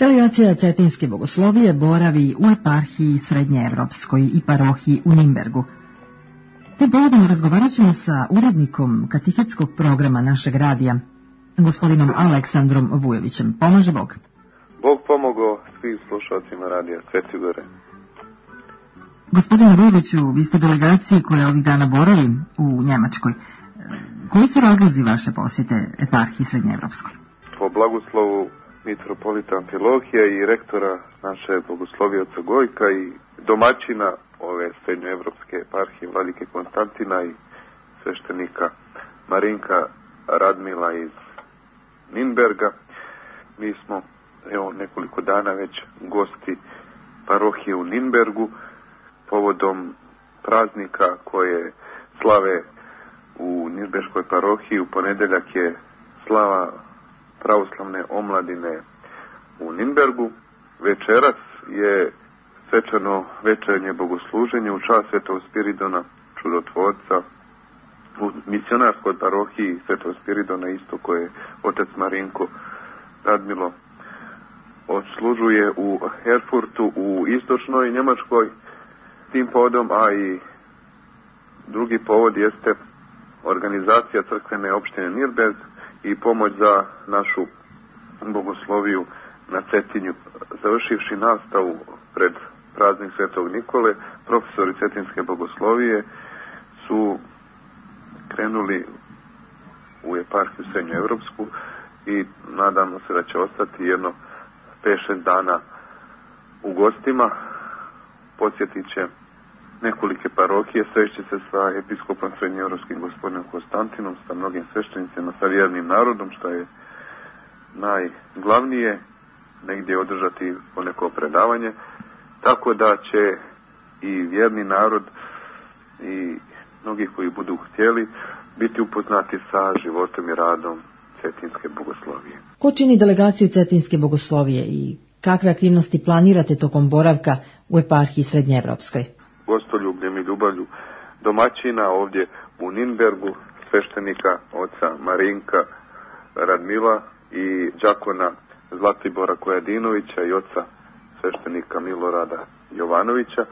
Delegacija Cetinske bogoslovije boravi u eparhiji Srednjeevropskoj i parohiji u Nimbergu. Tim povodom razgovarat ćemo sa urednikom katehetskog programa našeg radija, gospodinom Aleksandrom Vujovićem. Pomaže Bog. Bog pomogao svim slušalcima radija Sveti Gore. Gospodine Vujoviću, vi ste delegaciji koja ovih dana boravi u Njemačkoj. Koji su razlozi vaše posjete eparhiji Srednjeevropskoj? Po blagoslovu mitropolita Amfilohija i rektora naše bogoslovioca Gojka i domaćina ove srednjoevropske eparhije vladike Konstantina i sveštenika Marinka Radmila iz Ninberga. Mi smo nekoliko dana već gosti parohije u Ninbergu povodom praznika koje slave u Ninberškoj parohiji. U ponedeljak je slava pravoslavne omladine u Ninbergu. Večeras je svečano večernje bogosluženje u čast Svetog Spiridona čudotvorca u misionarskoj parohiji Svetog Spiridona, isto koje otac Marinko Radmilo odslužuje u Erfurtu u istočnoj Njemačkoj. Tim povodom, a i drugi povod jeste organizacija crkvene opštine Nirberg i pomoć za našu bogosloviju na Cetinju. Završivši nastavu pred praznik Svetog Nikole, profesori Cetinske bogoslovije su krenuli u eparhiju Srednjoevropsku i nadamo se da će ostati jedno 5-6 dana u gostima. Posjetit će nekolike parohije, sreći se sa episkopom Srednjoevropskim gospodinom Konstantinom, sa mnogim sveštenicima, sa vjernim narodom, što je najglavnije, negdje održati poneko predavanje, tako da će i vjerni narod i mnogi koji budu htjeli biti upoznati sa životom i radom Cetinske bogoslovije. Ko čini delegaciju Cetinske bogoslovije i kakve aktivnosti planirate tokom boravka u eparhiji Srednjeevropskoj? Gostoljubljem i ljubavlju domaćina ovdje u Ninbergu, sveštenika oca Marinka Radmila i đakona Zlatibora Kojadinovića i oca sveštenika Milorada Jovanovića.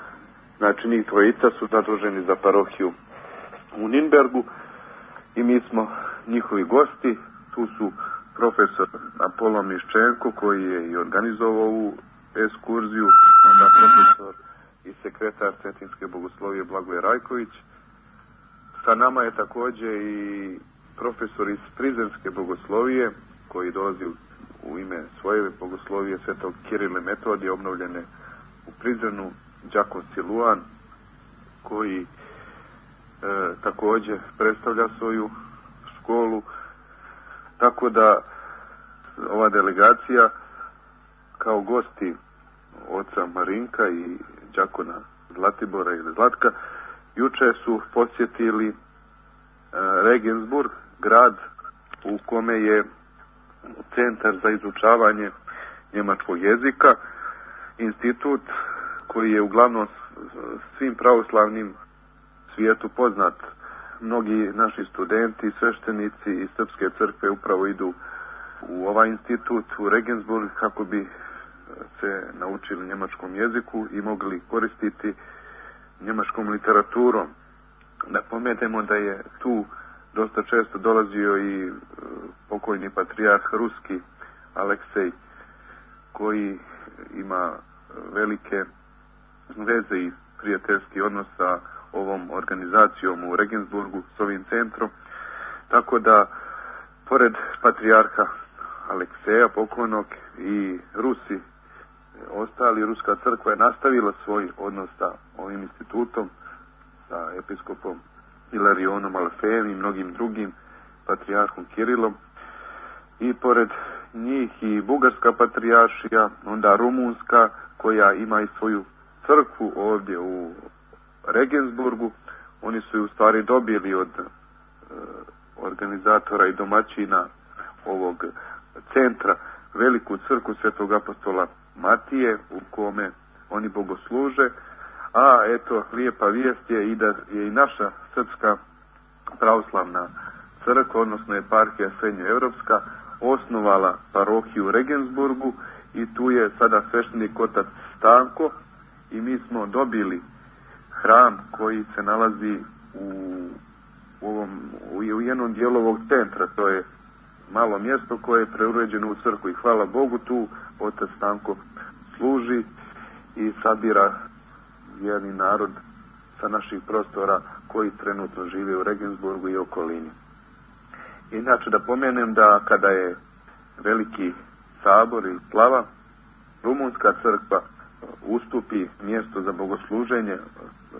Znači, njih dvojica su zaduženi za parohiju u Ninbergu i mi smo njihovi gosti. Tu su profesor Apollo Miščenko, koji je i organizovao ovu ekskurziju, onda profesor i sekretar Cetinske bogoslovije Blagoje Rajković. Sa nama je također i profesor iz Prizrenske bogoslovije, koji dolazi u ime svoje bogoslovije Svetog Kirile Metodije, obnovljene u Prizrenu, đakon Siluan, koji također predstavlja svoju školu. Tako da ova delegacija kao gosti oca Marinka i đakona Zlatibora ili Zlatka juče su posjetili Regensburg, grad u kome je centar za izučavanje njemačkog jezika, institut koji je uglavnom svim pravoslavnim svijetu poznat. Mnogi naši studenti, sveštenici iz Srpske crkve upravo idu u ovaj institut u Regensburg kako bi se naučili njemačkom jeziku i mogli koristiti njemačkom literaturom. Napomenemo da je tu dosta često dolazio i pokojni patrijarh ruski Aleksej, koji ima velike veze i prijateljski odnos sa ovom organizacijom u Regensburgu, s ovim centrom. Tako da, pored patrijarha Alekseja pokojnog i Rusi, ostali, ruska crkva je nastavila svoj odnos sa ovim institutom, sa episkopom Ilarionom Alfejem i mnogim drugim, patrijarhom Kirilom. I pored njih i bugarska patrijaršija, onda rumunska, koja ima i svoju crkvu ovdje u Regensburgu. Oni su ju u stvari dobili od organizatora i domaćina ovog centra veliku crkvu Svetog apostola Matije, u kome oni bogosluže. A eto, lijepa vijest je i da je i naša srpska pravoslavna crkva, odnosno eparhija Srednjoevropska, osnovala parohiju u Regensburgu i tu je sada sveštenik otac Stanko i mi smo dobili hram koji se nalazi u jednom dijelu ovog centra. To je malo mjesto koje je preuređeno u crkvu i hvala Bogu tu otac Stanko služi i sabira vjerni narod sa naših prostora koji trenutno žive u Regensburgu i okolini. Inače da pomenem da kada je veliki sabor i slava, rumunska crkva ustupi mjesto za bogosluženje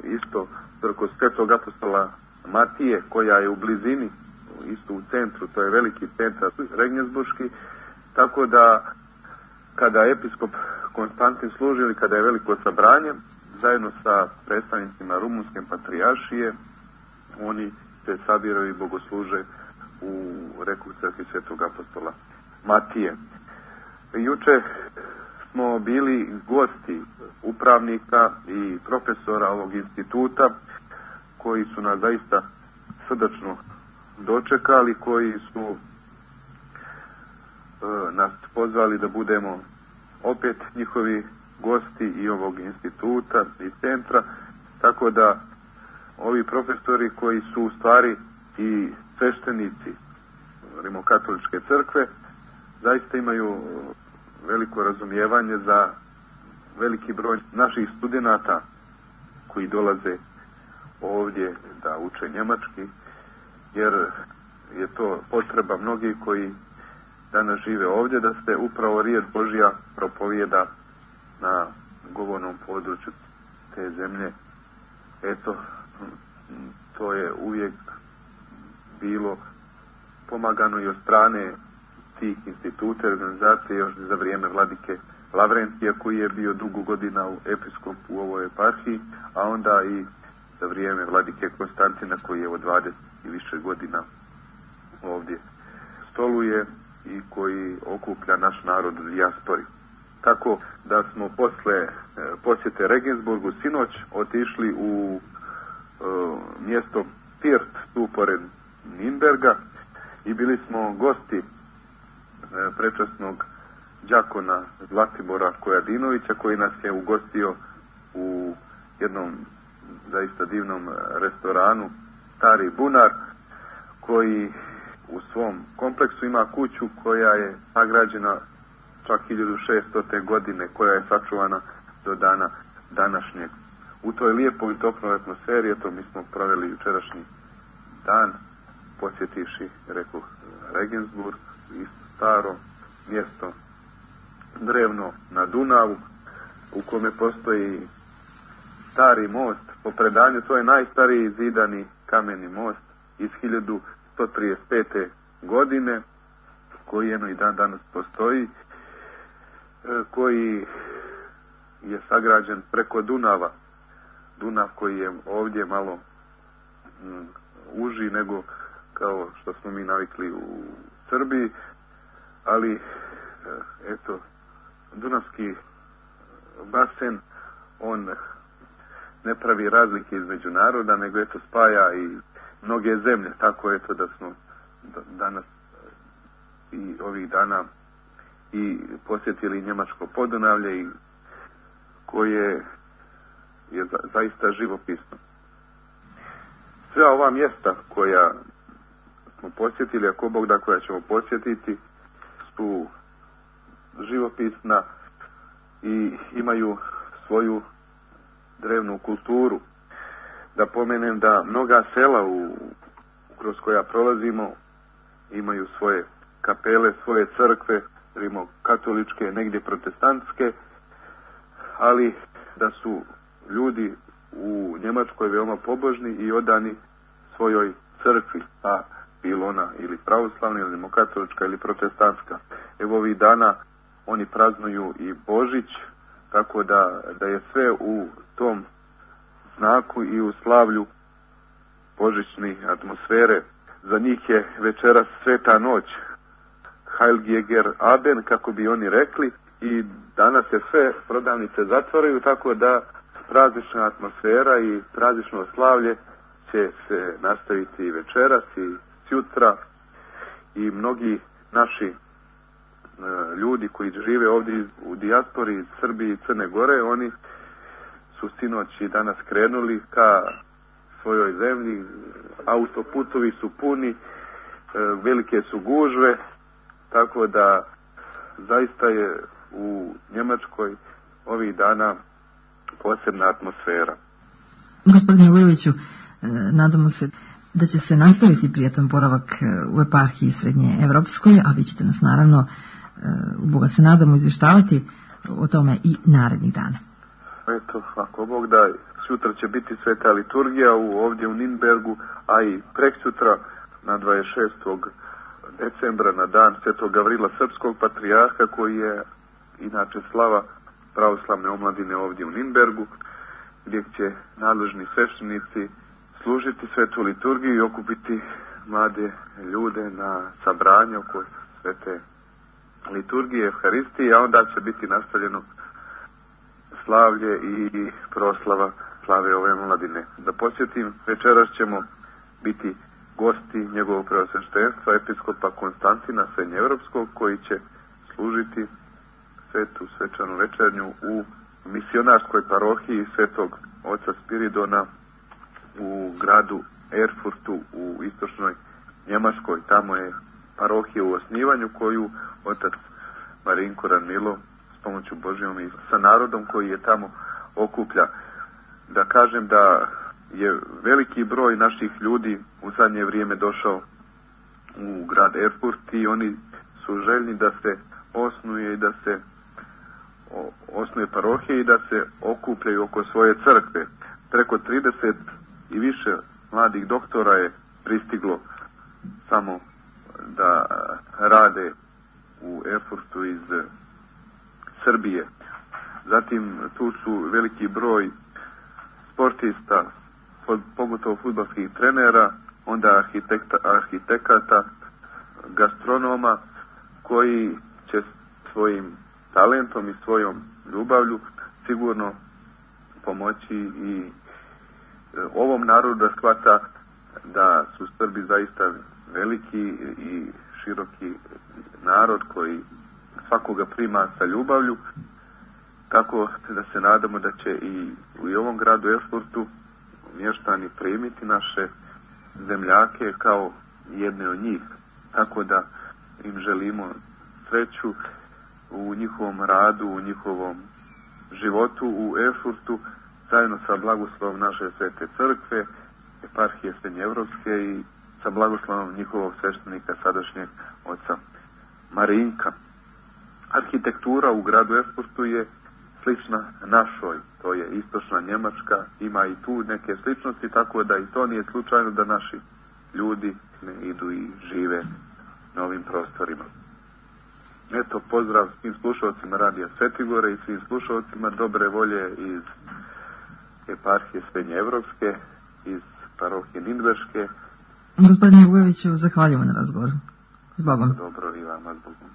isto crkvu Svetog apostola Matije, koja je u blizini, isto u centru, to je veliki centar Regensburški, tako da kada episkop Konstantin služi ili kada je veliko sabranje, zajedno sa predstavnicima rumunske patrijaršije, oni se sabiraju i bogosluže u reku crkvi Svetog apostola Matije. Juče smo bili gosti upravnika i profesora ovog instituta koji su nas zaista srdačno dočekali, koji su nas pozvali da budemo opet njihovi gosti i ovog instituta i centra, tako da ovi profesori koji su u stvari i sveštenici Rimokatoličke crkve zaista imaju veliko razumijevanje za veliki broj naših studenata koji dolaze ovdje da uče njemački, jer je to potreba mnogih koji danas žive ovdje, da se upravo riječ Božja propovijeda na govornom području te zemlje. Eto, to je uvijek bilo pomagano i od strane tih instituta i organizacije još za vrijeme vladike Lavrentija, koji je bio dugo godina u episkop u ovoj eparhiji, a onda i za vrijeme vladike Konstantina, koji je od 20 i više godina ovdje stoluje i koji okuplja naš narod u dijaspori. Tako da smo posle posjete Regensburgu sinoć otišli u mjesto Pirt, tu pored Nimberga, i bili smo gosti prečasnog đakona Zlatibora Kojadinovića, koji nas je ugostio u jednom zaista divnom restoranu Stari Bunar, koji u svom kompleksu ima kuću koja je sagrađena čak 1600. godine, koja je sačuvana do dana današnjeg. U toj lijepoj i toploj atmosferi, eto, mi smo proveli jučerašnji dan, posjetivši, rekoh, Regensburg, isto staro mjesto, drevno na Dunavu, u kome postoji stari most. Po predanju, to je najstariji zidani kameni most iz 1135. godine, koji jedno i dan danas postoji, koji je sagrađen preko Dunava. Dunav koji je ovdje malo uži nego kao što smo mi navikli u Srbiji, ali eto, Dunavski basen, on ne pravi razlike između naroda, nego eto spaja i mnoge zemlje. Tako eto da smo danas i ovih dana i posjetili Njemačko Podunavlje, i koje je zaista živopisno. Sve ova mjesta koja smo posjetili, ako Bog da, koja ćemo posjetiti, su živopisna i imaju svoju drevnu kulturu. Da pomenem da mnoga sela kroz koja prolazimo imaju svoje kapele, svoje crkve, rimokatoličke, negdje protestantske, ali da su ljudi u Njemačkoj veoma pobožni i odani svojoj crkvi, a bilo ona ili pravoslavna, ili rimokatolička, ili protestantska. Evo ovih dana oni praznuju i Božić, tako da je sve u tom znaku i u slavlju božićne atmosfere. Za njih je večeras Sveta noć, Heiliger Abend, kako bi oni rekli, i danas se sve prodavnice zatvaraju, tako da praznična atmosfera i praznično slavlje će se nastaviti i večeras i sutra, i mnogi naši ljudi koji žive ovdje u dijaspori iz Srbije i Crne Gore, oni su sinoć i danas krenuli ka svojoj zemlji, autoputovi su puni, velike su gužve, tako da zaista je u Njemačkoj ovih dana posebna atmosfera. Gospodine Vujoviću, nadamo se da će se nastaviti prijatan boravak u eparhiji Srednje Evropskoj, a vi ćete nas naravno, u Boga se nadamo, izvještavati o tome i narednih dana. Eto, ako Bog da, sutra će biti sveta liturgija ovdje u Nürnbergu, a i preksutra na 26. decembra na dan Svetog Gavrila Srpskog patrijarha, koji je inače slava pravoslavne omladine ovdje u Nürnbergu, gdje će nadležni sveštenici služiti svetu liturgiju i okupiti mlade ljude na sabranje oko svete liturgije, Evharistije, a onda će biti nastavljeno slavlje i proslava slave ove omladine. Da podsjetim, večeras ćemo biti gosti njegovog preosveštenstva, episkopa Konstantina Srednjeevropskog, koji će služiti svetu svečanu večernju u misionarskoj parohiji Svetog oca Spiridona u gradu Erfurtu u istočnoj Njemačkoj. Tamo je parohija u osnivanju koju otac Marinko Ranmilo s pomoću Božjom i sa narodom koji je tamo okuplja. Da kažem da je veliki broj naših ljudi u zadnje vrijeme došao u grad Erfurt i oni su željni da se osnuje parohije i da se okupljaju oko svoje crkve. Preko 30 i više mladih doktora je pristiglo samo da rade u Erfurtu iz Srbije. Zatim tu su veliki broj sportista, pogotovo fudbalskih trenera, onda arhitekata, gastronoma, koji će svojim talentom i svojom ljubavlju sigurno pomoći i ovom narodu da shvata da su Srbi zaista veliki i široki narod koji svakoga prima sa ljubavlju, tako da se nadamo da će i u ovom gradu Erfurtu mještani primiti naše zemljake kao jedne od njih, tako da im želimo sreću u njihovom radu, u njihovom životu u Erfurtu, zajedno sa blagoslovom naše svete crkve, eparhije Srednjeevropske i sa blagoslovom njihovog sveštenika sadašnjeg oca Marinka. Arhitektura u gradu Erfurtu je slična našoj, to je istočna Njemačka, ima i tu neke sličnosti, tako da i to nije slučajno da naši ljudi ne idu i žive na ovim prostorima. Eto, pozdrav svim slušalcima Radija Svetigore i svim slušalcima dobre volje iz eparhije Srednjeevropske, iz parohije Nürnberške. Gospodine Vujoviću, zahvaljujemo na razgovoru. S Bogom. Dobro i vama, s Bogom.